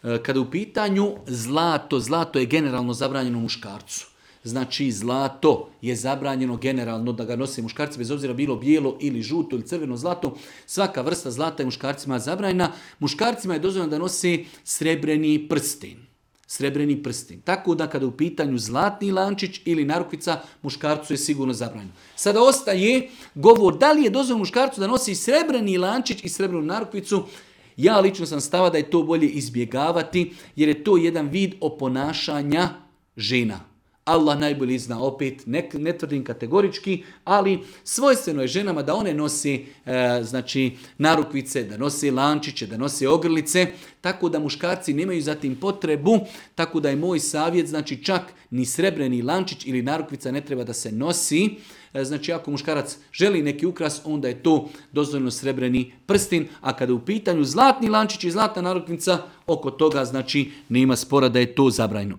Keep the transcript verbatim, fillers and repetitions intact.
Kada u pitanju zlato, zlato je generalno zabranjeno muškarcu. Znači zlato je zabranjeno generalno da ga nose muškarci, bez obzira bilo bijelo ili žuto ili crveno zlato. Svaka vrsta zlata je muškarcima zabranjena. Muškarcima je dozvoljeno da nose srebreni prsten. Srebreni prsten. Tako da kada u pitanju zlatni lančić ili narukvica, muškarcu je sigurno zabranjeno. Sada ostaje govor da li je dozvoljeno muškarcu da nosi srebreni lančić i srebrenu narukvicu. Ja lično sam stava da je to bolje izbjegavati, jer je to jedan vid oponašanja žena. Allah najbolje zna, opet ne, ne tvrdim kategorički, ali svojstveno je ženama da one nose e, znači, narukvice, da nose lančiće, da nose ogrlice, tako da muškarci nemaju zatim potrebu, tako da je moj savjet, znači čak ni srebreni lančić ili narukvica ne treba da se nosi. E, znači ako muškarac želi neki ukras, onda je to dozvoljeno srebreni prstin, a kada je u pitanju zlatni lančić i zlatna narukvica, oko toga znači nema spora da je to zabranjeno.